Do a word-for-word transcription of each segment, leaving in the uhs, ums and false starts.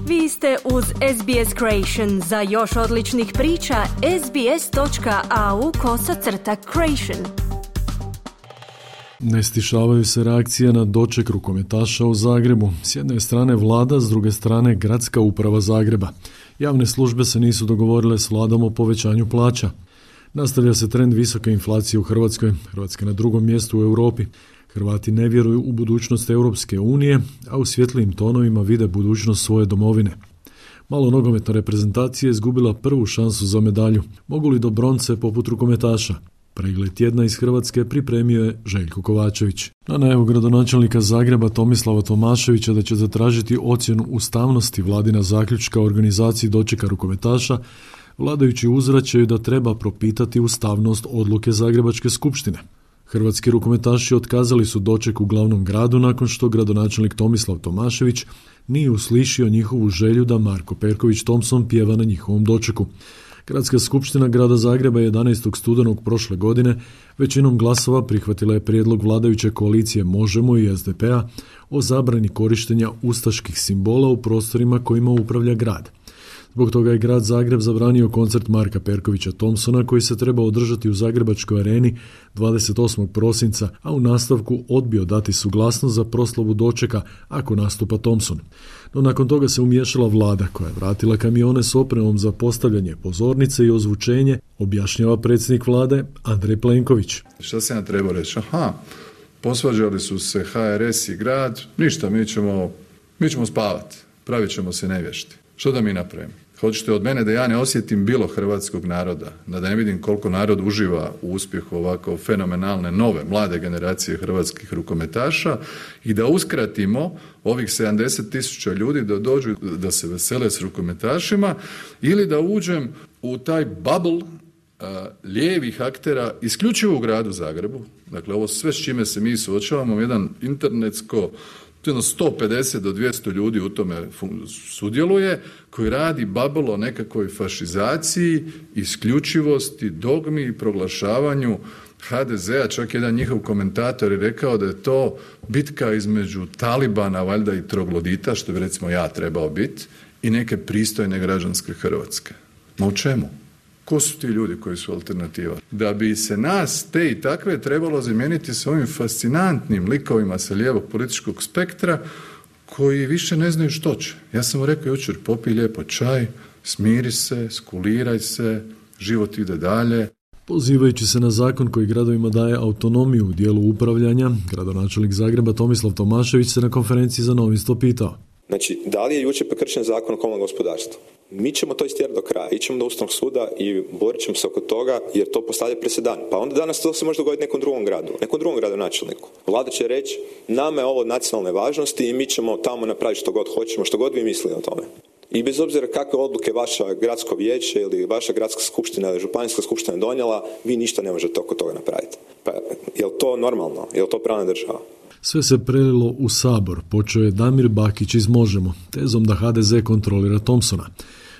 Vi ste uz S B S Creation. Za još odličnih priča, sbs.au kosacrta creation. Ne stišavaju se reakcije na doček rukometaša u Zagrebu. S jedne strane vlada, s druge strane gradska uprava Zagreba. Javne službe se nisu dogovorile s vladom o povećanju plaća. Nastavlja se trend visoke inflacije u Hrvatskoj. Hrvatska na drugom mjestu u Europi. Hrvati ne vjeruju u budućnost Europske unije, a u svjetlijim tonovima vide budućnost svoje domovine. Malo nogometna reprezentacija je izgubila prvu šansu za medalju. Mogu li do bronce poput rukometaša? Pregled tjedna iz Hrvatske pripremio je Željko Kovačević. Na najavu gradonačelnika Zagreba Tomislava Tomaševića da će zatražiti ocjenu ustavnosti vladina zaključka o organizaciji dočeka rukometaša, vladajući uzvraćaju da treba propitati ustavnost odluke Zagrebačke skupštine. Hrvatski rukometaši otkazali su doček u glavnom gradu nakon što gradonačelnik Tomislav Tomašević nije uslišio njihovu želju da Marko Perković Thompson pjeva na njihovom dočeku. Gradska skupština grada Zagreba jedanaestog studenog prošle godine većinom glasova prihvatila je prijedlog vladajuće koalicije Možemo i S D P-a o zabrani korištenja ustaških simbola u prostorima kojima upravlja grad. Zbog toga je grad Zagreb zabranio koncert Marka Perkovića Thompsona koji se treba održati u Zagrebačkoj areni dvadeset osmog prosinca, a u nastavku odbio dati suglasnost za proslavu dočeka ako nastupa Thompson. No nakon toga se umiješala vlada koja je vratila kamione s opremom za postavljanje pozornice i ozvučenje, objašnjava predsjednik vlade Andrej Plenković. Šta se ja trebao reći? Aha, posvađali su se H R S i grad, ništa, mi ćemo, mi ćemo spavati, pravit ćemo se nevješti. Što da mi napravimo? Hoćete od mene da ja ne osjetim bilo hrvatskog naroda, da ne vidim koliko narod uživa u uspjehu ovako fenomenalne nove, mlade generacije hrvatskih rukometaša i da uskratimo ovih sedamdeset tisuća ljudi da dođu da se vesele s rukometašima ili da uđem u taj bubble uh, lijevih aktera isključivo u gradu Zagrebu. Dakle, ovo sve s čime se mi suočavamo, jedan internetsko sto pedeset do dvjesto ljudi u tome sudjeluje, koji radi babel o nekakvoj fašizaciji, isključivosti, dogmi i proglašavanju H D Z-a. Čak jedan njihov komentator je rekao da je to bitka između Talibana, valjda i troglodita, što bi recimo ja trebao biti, i neke pristojne građanske Hrvatske. Ma u čemu? Ko su ti ljudi koji su alternativa? Da bi se nas, te i takve, trebalo zamijeniti s ovim fascinantnim likovima sa lijevog političkog spektra koji više ne znaju što će. Ja sam mu rekao jučer, popij lijepo čaj, smiri se, skuliraj se, život ide dalje. Pozivajući se na zakon koji gradovima daje autonomiju u dijelu upravljanja, gradonačelnik Zagreba Tomislav Tomašević se na konferenciji za novinstvo pitao. Znači, da li je jučer prekršen zakon o komunalnom gospodarstvu? Mi ćemo to istjerati do kraja, ićemo do Ustavnog suda i borit ćemo se oko toga jer to postavlja presedan. Pa onda danas to se može dogoditi nekom drugom gradu, nekom drugom gradonačelniku. Vlada će reći, nama je ovo od nacionalne važnosti i mi ćemo tamo napraviti što god hoćemo, što god vi mislili o tome. I bez obzira kakve odluke vaša gradsko vijeće ili vaša gradska skupština ili županijska skupština donijela, vi ništa ne možete oko toga napraviti. Pa je li to normalno? Je li to pravna država? Sve se prelilo u Sabor. Počeo je Damir Bakić iz Možemo, tezom da H D Z kontrolira Thompsona.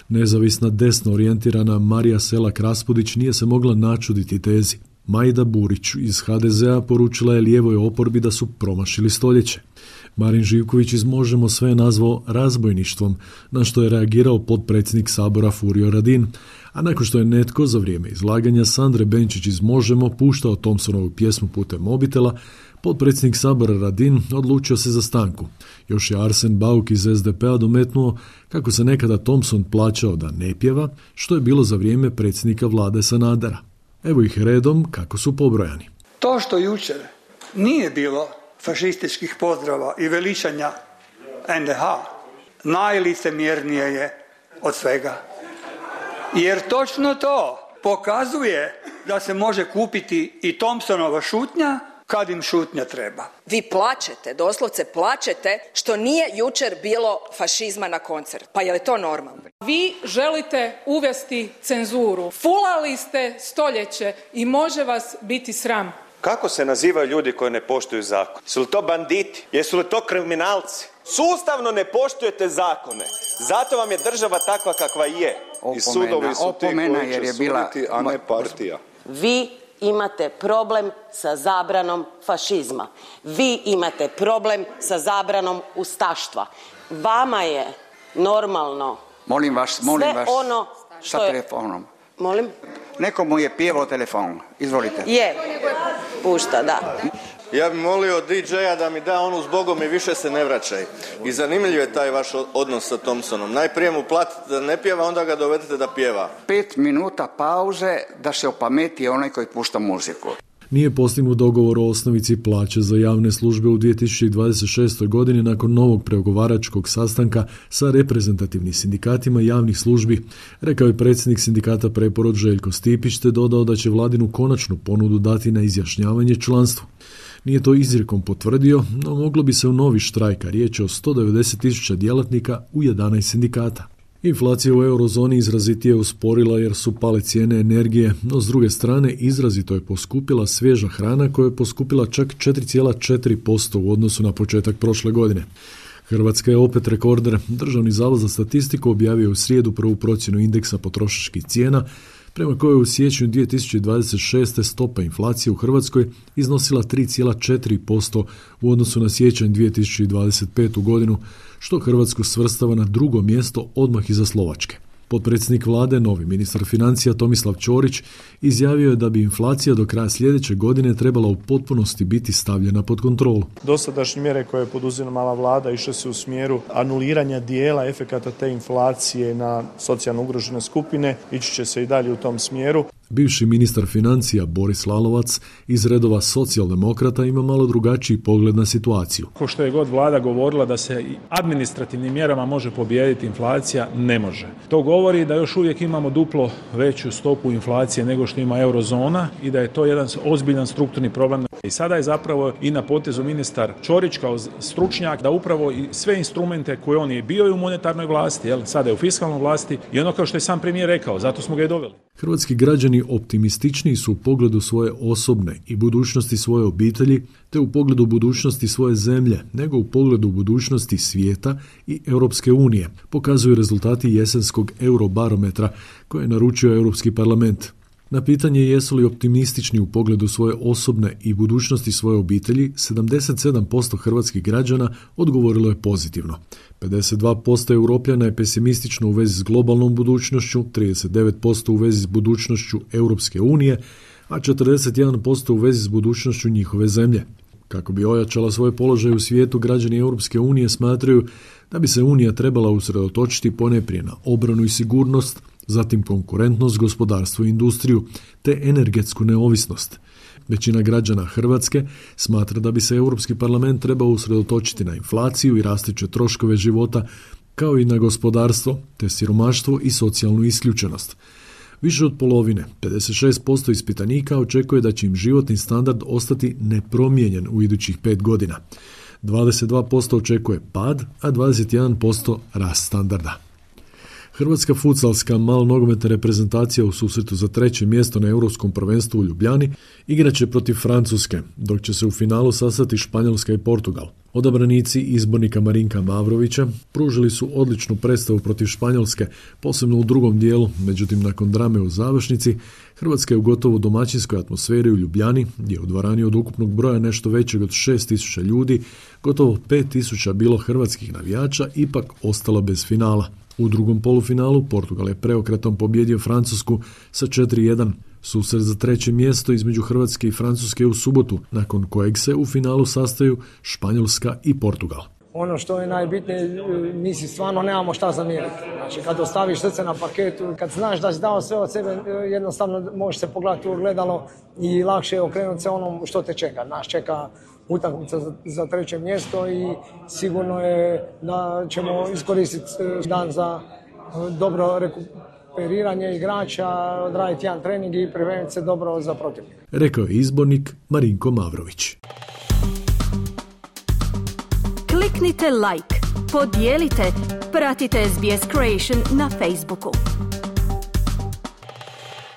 Nezavisna desno orijentirana Marija Selak Raspudić nije se mogla načuditi tezi. Majda Burić iz H D Z-a poručila je lijevoj oporbi da su promašili stoljeće. Marin Živković iz Možemo sve je nazvao razbojništvom, na što je reagirao potpredsjednik Sabora Furio Radin, a nakon što je netko za vrijeme izlaganja Sandre Benčić iz Možemo puštao Thompsonovu pjesmu putem mobitela, potpredsjednik Sabora Radin odlučio se za stanku. Još je Arsen Bauk iz S D P-a dometnuo kako se nekada Thompson plaćao da ne pjeva, što je bilo za vrijeme predsjednika vlade Sanadera. Evo ih redom kako su pobrojani. To što jučer nije bilo fašističkih pozdrava i veličanja N D H, najlicemjernije je od svega. Jer točno to pokazuje da se može kupiti i Thompsonova šutnja kad im šutnja treba. Vi plačete, doslovce plačete što nije jučer bilo fašizma na koncertu. Pa je li to normalno? Vi želite uvesti cenzuru. Fulali ste stoljeće i može vas biti sram. Kako se nazivaju ljudi koji ne poštuju zakon? Su li to banditi? Jesu li to kriminalci? Sustavno ne poštujete zakone. Zato vam je država takva kakva je. Opomena, I sudovi su ti koji će je bila... suditi, a ne partija. Vi imate problem sa zabranom fašizma. Vi imate problem sa zabranom ustaštva. Vama je normalno. Molim vas, molim Sve vas, ono sa što je... telefonom. Molim? Neko mu je pjevao telefon. Izvolite. Je, pušta, da. Ja bih molio D J-a da mi da onu zbogom i više se ne vraćaj. I zanimljiv je taj vaš odnos sa Thompsonom. Najprije mu platite da ne pjeva, onda ga dovedete da pjeva. Pet minuta pauze da se opameti onaj koji pušta muziku. Nije postignut dogovor o osnovici plaće za javne službe u dvije tisuće dvadeset šestoj. godini nakon novog pregovaračkog sastanka sa reprezentativnim sindikatima javnih službi, rekao je predsjednik sindikata Preporod Željko Stipić, te dodao da će vladinu konačnu ponudu dati na izjašnjavanje članstvu. Nije to izrijekom potvrdio, no moglo bi se u novi štrajk, a riječ je o sto devedeset tisuća djelatnika u jedanaest sindikata. Inflacija u eurozoni izrazitije usporila jer su pale cijene energije, no s druge strane izrazito je poskupila svježa hrana koja je poskupila čak četiri zarez četiri posto u odnosu na početak prošle godine. Hrvatska je opet rekorder. Državni zavod za statistiku objavio u srijedu prvu procjenu indeksa potrošačkih cijena, prema kojoj u siječnju dvije tisuće dvadeset šeste. stopa inflacije u Hrvatskoj iznosila tri zarez četiri posto u odnosu na siječanj dvije tisuće dvadeset petu. godinu, što Hrvatsku svrstava na drugo mjesto odmah iza Slovačke. Potpredsjednik vlade, novi ministar financija Tomislav Ćorić, izjavio je da bi inflacija do kraja sljedeće godine trebala u potpunosti biti stavljena pod kontrolu. Dosadašnje mjere koje je poduzimala vlada išle se u smjeru anuliranja dijela efekata te inflacije na socijalno ugrožene skupine, ići će se i dalje u tom smjeru. Bivši ministar financija Boris Lalovac iz redova socijaldemokrata ima malo drugačiji pogled na situaciju. Ko što je god vlada govorila da se administrativnim mjerama može pobijediti inflacija, ne može. To govori da još uvijek imamo duplo veću stopu inflacije nego što ima eurozona i da je to jedan ozbiljan strukturni problem. I sada je zapravo i na potezu ministar Ćorić kao stručnjak da upravo i sve instrumente koje on je bio i u monetarnoj vlasti, jel, sada je u fiskalnoj vlasti i ono kao što je sam premijer rekao, zato smo ga i doveli. Hrvatski građani optimističniji su u pogledu svoje osobne i budućnosti svoje obitelji, te u pogledu budućnosti svoje zemlje, nego u pogledu budućnosti svijeta i Europske unije, pokazuju rezultati jesenskog eurobarometra koje je naručio Europski parlament. Na pitanje jesu li optimistični u pogledu svoje osobne i budućnosti svoje obitelji, sedamdeset sedam posto hrvatskih građana odgovorilo je pozitivno. pedeset dva posto Europljana je pesimistično u vezi s globalnom budućnošću, trideset devet posto u vezi s budućnošću Europske unije, a četrdeset jedan posto u vezi s budućnošću njihove zemlje. Kako bi ojačala svoj položaj u svijetu, građani Europske unije smatraju da bi se Unija trebala usredotočiti ponajprije na obranu i sigurnost, zatim konkurentnost, gospodarstvo i industriju, te energetsku neovisnost. Većina građana Hrvatske smatra da bi se Europski parlament trebao usredotočiti na inflaciju i rastuće troškove života, kao i na gospodarstvo, te siromaštvo i socijalnu isključenost. Više od polovine, pedeset šest posto ispitanika, očekuje da će im životni standard ostati nepromijenjen u idućih pet godina. dvadeset dva posto očekuje pad, a dvadeset jedan posto rast standarda. Hrvatska futsalska malnogometna reprezentacija u susretu za treće mjesto na Europskom prvenstvu u Ljubljani igraće protiv Francuske, dok će se u finalu sastati Španjolska i Portugal. Odabranici izbornika Marinka Mavrovića pružili su odličnu predstavu protiv Španjolske, posebno u drugom dijelu, međutim nakon drame u završnici, Hrvatska je u gotovo domaćinskoj atmosferi u Ljubljani, gdje je u dvorani od ukupnog broja nešto većeg od šest tisuća ljudi, gotovo pet tisuća bilo hrvatskih navijača, ipak ostala bez finala. U drugom polufinalu Portugal je preokretom pobjedio Francusku sa četiri jedan. Susret za treće mjesto između Hrvatske i Francuske u subotu, nakon kojeg se u finalu sastaju Španjolska i Portugal. Ono što je najbitnije, mi si stvarno nemamo šta zamjeriti. Znači, kad ostaviš srce na parketu, kad znaš da si dao sve od sebe, jednostavno možeš se pogledati u ogledalo i lakše je okrenuti se onom što te čeka. Nas čeka utakmica za, za treće mjesto i sigurno je da ćemo iskoristiti dan za dobro rekuperiranje igrača, odraditi jedan trening i pripremiti se dobro za protivnika. Rekao je izbornik Marinko Mavrović. Kliknite like, podijelite, pratite S B S Creation na Facebooku.